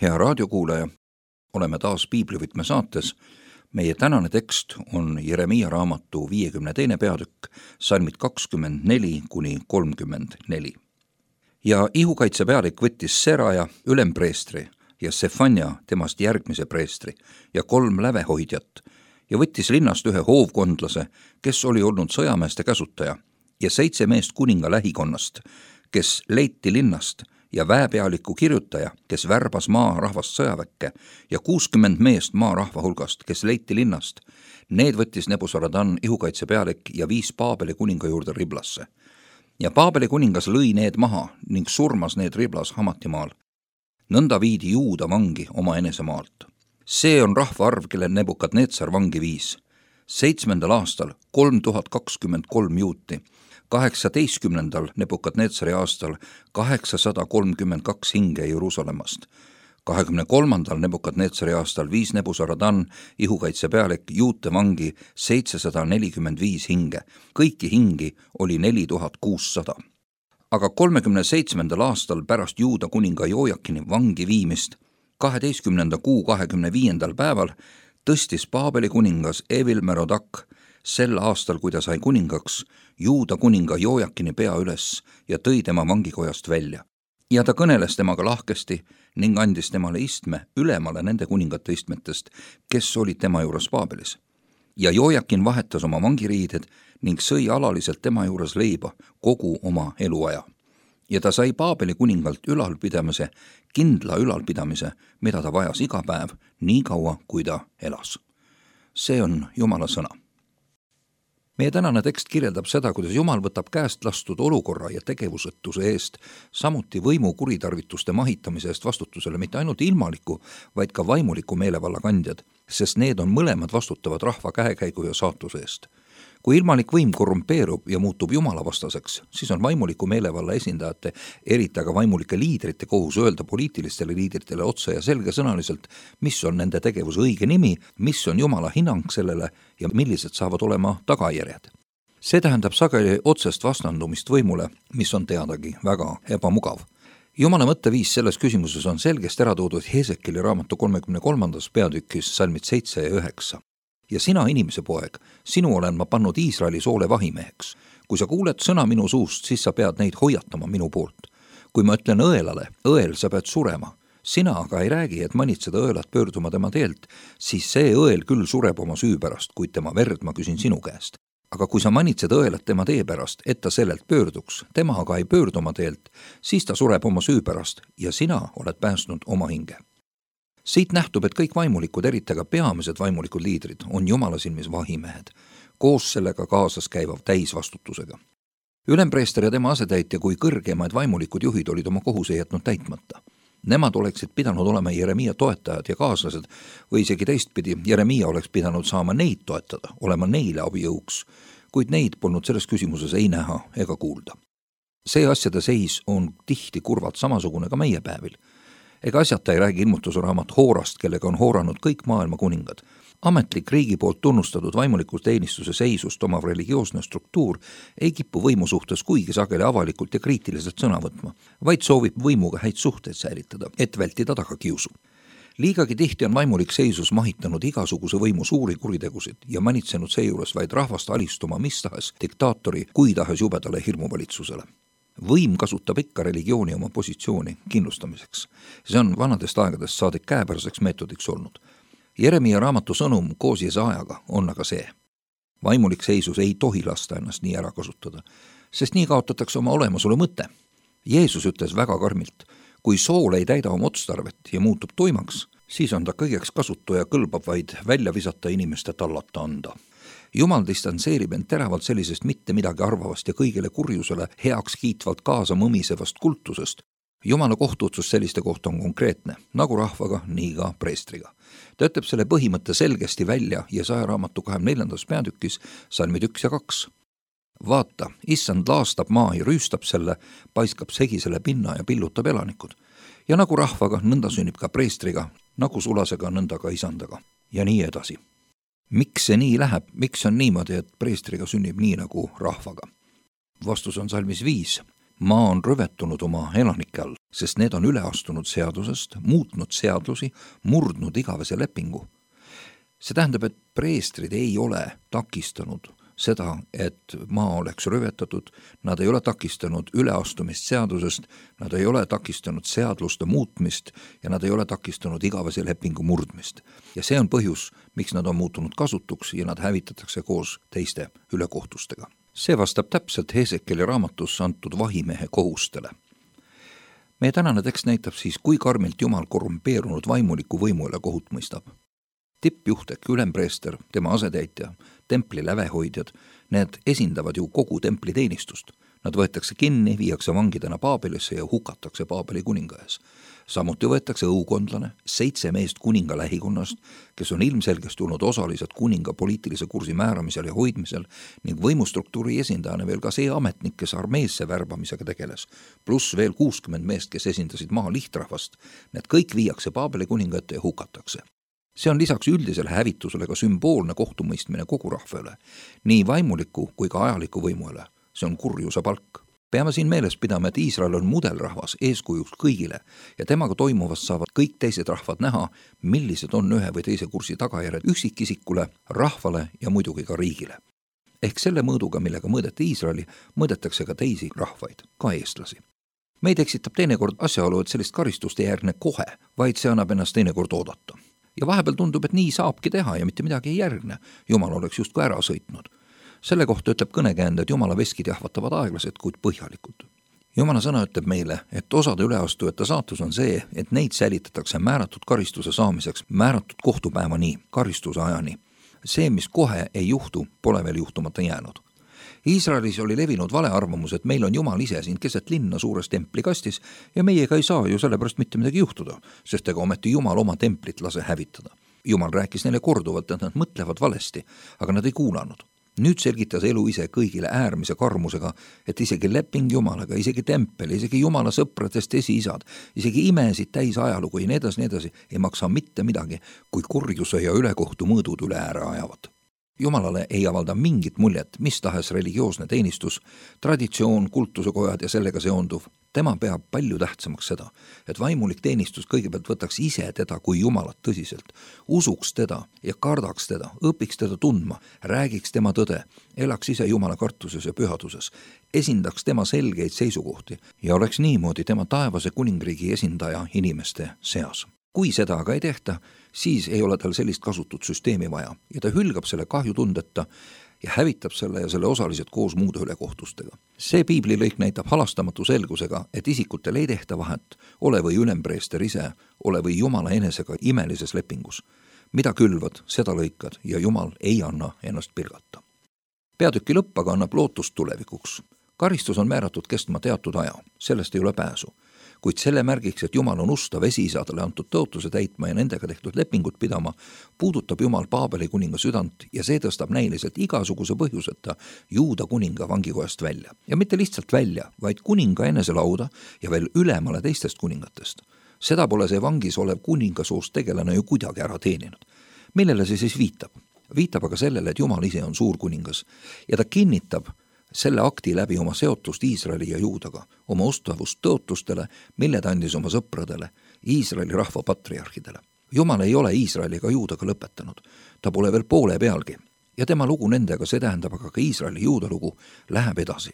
Hea raadiokuulaja, oleme taas Piiblivõtme saates. Meie tänane tekst on Jeremiia raamatu 52. peatükk, salmid 24-34. Ja ihukaitse pealik võttis Seraja, ülempreestri, ja Sefania, temast järgmise preestri, ja 3 lävehoidjat, ja võttis linnast 1 hoovkondlase, kes oli olnud sõjameeste käsutaja, ja 7 meest kuninga lähikonnast, kes leiti linnast, ja väepealiku kirjutaja, kes värbas maarahvast sõjaväkke, ja 60 meest maarahva hulgast, kes leiti linnast. Need võttis Nebuzaradan, ihukaitse pealik, ja viis Paabeli kuninga juurde Riblasse. Ja Paabeli kuningas lõi need maha ning surmas need Riblas Hamatimaal. Nõnda viidi Juuda vangi oma enesemaalt. See on rahvaarv, kelle Nebukadnetsar vangi viis. 7. aastal 3023 juuti, 18. Nebukadnetsari aastal 832 hinge Jeruusalemmast. 23. Nebukadnetsari aastal viis Nebuzaradan, ihukaitse pealik, juute vangi 745 hinge. Kõiki hingi oli 4600. Aga 37. aastal pärast Juuda kuninga Jojakini vangi viimist, 12. kuu 25. päeval, tõstis Paabeli kuningas Evil-Merodak sel aastal, kui ta sai kuningaks, Juuda kuninga Jojakini pea üles ja tõi tema vangikojast välja. Ja ta kõneles temaga lahkesti ning andis temale istme ülemale nende kuningate istmetest, kes olid tema juures Paabelis. Ja Jojakin vahetas oma vangiriided ning sõi alaliselt tema juures leiba kogu oma eluaja. Ja ta sai Paabeli kuningalt ülalpidamise, kindla ülalpidamise, mida ta vajas iga päev, nii kaua, kui ta elas. See on Jumala sõna. Meie tänane tekst kirjeldab seda, kuidas Jumal võtab käest lastud olukorra ja tegevusetuse eest, samuti võimu kuritarvituste mahitamise eest vastutusele mitte ainult ilmaliku, vaid ka vaimuliku meelevalla kandjad, sest need on mõlemad vastutavad rahva käekäigu ja saatuse eest. Kui ilmalik võim korrumpeerub ja muutub Jumala vastaseks, siis on vaimuliku meelevalla esindajate, eriti aga vaimulike liidrite kohus öelda poliitilistele liidritele otse ja selgesõnaliselt, mis on nende tegevuse õige nimi, mis on Jumala hinnang sellele ja millised saavad olema tagajärjed. See tähendab sageli otsest vastandumist võimule, mis on teadagi väga ebamugav. Jumala mõtteviis selles küsimuses on selgesti ära toodud Hesekieli raamatu 33. peatükis salmid 7 ja 9. Ja sina, inimese poeg, sinu olen ma pannud Iisraeli soole vahimeheks. Kui sa kuuled sõna minu suust, siis sa pead neid hoiatama minu poolt. Kui ma ütlen õelale, õel, sa pead surema, sina aga ei räägi, et manitseda õelat pöörduma tema teelt, siis see õel küll sureb oma süü pärast, kuid tema verd ma küsin sinu käest. Aga kui sa manitsed õelat tema tee pärast, et ta sellelt pöörduks, tema aga ei pöördu oma teelt, siis ta sureb oma süü pärast ja sina oled päästnud oma hinge. Siit nähtub, et kõik vaimulikud, eriti aga peamised vaimulikud liidrid, on Jumala silmis vahimehed, koos sellega kaasas käivav täisvastutusega. Ülempreester ja tema asetäitja kui kõrgemaid vaimulikud juhid olid oma kohuse jätnud täitmata. Nemad oleksid pidanud olema Jeremiia toetajad ja kaaslased või isegi teistpidi, Jeremiia oleks pidanud saama neid toetada, olema neile abijõuks, kuid neid polnud selles küsimuses ei näha ega kuulda. See asjade seis on tihti kurvalt samasugune ka meie päevil. Ega asjata ei räägi ilmutuse raamat Hoorast, kellega on hooranud kõik maailma kuningad. Ametlik riigi poolt tunnustatud vaimuliku teenistuse seisust omav religioosne struktuur ei kipu võimu suhtes kuigi sageli avalikult ja kriitiliselt sõna võtma, vaid soovib võimuga häid suhteid säilitada, et vältida tagakiusu. Liigagi tihti on vaimulik seisus mahitanud igasuguse võimu suuri kuritegusid ja manitsenud seejuures vaid rahvast alistuma mis tahes diktaatori kui tahes jubedale hirmuvalitsusele. Võim kasutab ikka religiooni oma positsiooni kindlustamiseks. See on vanadest aegadest saadik käepäraseks meetodiks olnud. Jeremiia raamatu sõnum koos Jesaajaga on aga see. Vaimulik seisus ei tohi lasta ennast nii ära kasutada, sest nii kaotatakse oma olemasolu mõte. Jeesus ütles väga karmilt, kui sool ei täida oma otstarvet ja muutub tuimaks, siis on ta kõigeks kasutu ja kõlbab vaid välja visata inimeste tallata anda. Jumal distantseerib end teravalt sellisest mitte midagi arvavast ja kõigile kurjusele heaks kiitvalt kaasa mõmisevast kultusest. Jumala kohtuotsus selliste kohta on konkreetne, nagu rahvaga, nii ka preestriga. Ta ütleb selle põhimõtte selgesti välja Jesaja raamatu 24. peatükis, salmid 1 ja 2. Vaata, issand laastab maa ja rüüstab selle, paiskab segisele pinna ja pillutab elanikud. Ja nagu rahvaga, nõnda sünnib ka preestriga, nagu sulasega, nõnda ka isandaga. Ja nii edasi. Miks see nii läheb? Miks on niimoodi, et preestriga sünnib nii nagu rahvaga? Vastus on salmis 5. maa on rüvetunud oma elanike all, sest need on üle astunud seadusest, muutnud seadusi, murdnud igavese lepingu. See tähendab, et preestrid ei ole takistanud seda, et maa oleks rüvetatud, nad ei ole takistanud üleastumist seadusest, nad ei ole takistanud seaduste muutmist ja nad ei ole takistanud igavese lepingu murdmist. Ja see on põhjus, miks nad on muutunud kasutuks ja nad hävitatakse koos teiste ülekohtustega. See vastab täpselt Hesekieli raamatus antud vahimehe kohustele. Meie tänane tekst näitab siis, kui karmilt Jumal korrumpeerunud vaimuliku võimu üle kohut mõistab. Tippjuht ehk ülempreester, tema asetäitja, templi lävehoidjad, need esindavad ju kogu templi teenistust. Nad võetakse kinni, viiakse vangidena Paabelisse ja hukatakse Paabeli kuninga ees. Samuti võetakse õukondlane, 7 meest kuninga lähikonnast, kes on ilmselgesti olnud osalised kuninga poliitilise kursi määramisel ja hoidmisel ning võimustruktuuri esindajana veel ka see ametnik, kes armeesse värbamisega tegeles, pluss veel 60 meest, kes esindasid maa lihtrahvast. Need kõik viiakse Paabeli kuninga ette ja hukatakse. See on lisaks üldisele hävitusele ka sümboolne kohtumõistmine kogu rahva üle, nii vaimuliku kui ka ajaliku võimu üle. See on kurjuse palk. Peame siin meeles pidama, et Iisrael on mudelrahvas eeskujuks kõigile ja temaga toimuvast saavad kõik teised rahvad näha, millised on ühe või teise kursi tagajärjed üksikisikule, rahvale ja muidugi ka riigile. Ehk selle mõõduga, millega mõõdeti Iisraeli, mõõdetakse ka teisi rahvaid, ka eestlasi. Meid eksitab teinekord asjaolu, et sellist karistust ei järgne kohe, vaid see annab ennast teinekord oodata. Ja vahepeal tundub, et nii saabki teha ja mitte midagi ei järgne. Jumal oleks justkui ära sõitnud. Selle kohta ütleb kõnekäände, et Jumala veskid jahvatavad aeglased, kuid põhjalikud. Jumala sõna ütleb meile, et osade üleastujate saatus on see, et neid säilitatakse määratud karistuse saamiseks, määratud kohtupäevani, karistuse ajani. See, mis kohe ei juhtu, pole veel juhtumata jäänud. Iisraelis oli levinud valearvamus, et meil on Jumal ise siin keset linna suures templikastis ja meiega ei saa ju sellepärast mitte midagi juhtuda, sest ega ometi Jumal oma templit lase hävitada. Jumal rääkis neile korduvalt, et nad mõtlevad valesti, aga nad ei kuulanud. Nüüd selgitas elu ise kõigile äärmise karmusega, et isegi leping Jumalaga, isegi tempel, isegi Jumala sõpradest esiisad, isegi imesid täis ajalugu ja nii edasi, ei maksa mitte midagi, kui kurjuse ja ülekohtu mõõdud üle ääre ajavad. Jumalale ei avalda mingit muljet, mis tahes religioosne teenistus, traditsioon, kultusekojad ja sellega seonduv. Tema peab palju tähtsamaks seda, et vaimulik teenistus kõigepealt võtaks ise teda kui Jumalat tõsiselt, usuks teda ja kardaks teda, õpiks teda tundma, räägiks tema tõde, elaks ise Jumala kartuses ja pühaduses, esindaks tema selgeid seisukohti ja oleks niimoodi tema taevase kuningriigi esindaja inimeste seas. Kui seda aga ei tehta, siis ei ole tal sellist kasutut süsteemi vaja ja ta hülgab selle kahjutundeta ja hävitab selle ja selle osalised koos muude ülekohtustega. See piiblilõik näitab halastamatu selgusega, et isikutel ei tehta vahet, ole või ülempreester ise, ole või Jumala enesega imelises lepingus. Mida külvad, seda lõikad ja Jumal ei anna ennast pilgata. Peatüki lõpp aga annab lootust tulevikuks. Karistus on määratud kestma teatud aja, sellest ei ole pääsu. Kuid selle märgiks, et Jumal on ustav esiisadele antud tõotuse täitma ja nendega tehtud lepingut pidama, puudutab Jumal Paabeli kuninga südant ja see tõstab näiliselt igasuguse põhjuseta Juuda kuninga vangikojast välja. Ja mitte lihtsalt välja, vaid kuninga eneselauda ja veel ülemale teistest kuningatest. Seda pole see vangis olev kuningasoost tegelane ju kuidagi ära teeninud. Millele see siis viitab? Viitab aga sellele, et Jumal ise on suur kuningas ja ta kinnitab selle akti läbi oma seotust Iisraeli ja Juudaga, oma ustavust tõotustele, mille ta andis oma sõpradele, Iisraeli rahva patriarhidele. Jumal ei ole Iisraeli ega Juudaga lõpetanud, ta pole veel poole pealgi ja tema lugu nendega, see tähendab aga ka Iisraeli Juuda lugu, läheb edasi.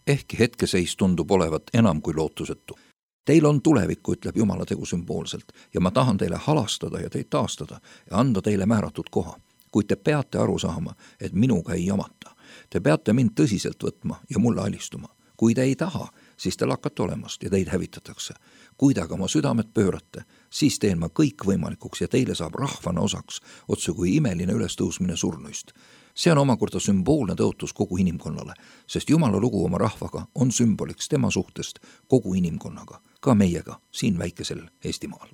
Ehkki hetkeseis tundub olevat enam kui lootusetu. Teil on tulevikku, ütleb Jumala tegu sümboolselt ja ma tahan teile halastada ja teid taastada ja anda teile määratud koha, kuid te peate aru saama, et minuga ei jamata. Te peate mind tõsiselt võtma ja mulle alistuma. Kui te ei taha, siis te lakkate olemast ja teid hävitatakse. Kui te aga oma südamed pöörate, siis teen ma kõik võimalikuks ja teile saab rahvana osaks, otse kui imeline ülestõusmine surnuist. See on omakorda sümboolne tõotus kogu inimkonnale, sest Jumala lugu oma rahvaga on sümboliks tema suhtest kogu inimkonnaga, ka meiega siin väikesel Eestimaal.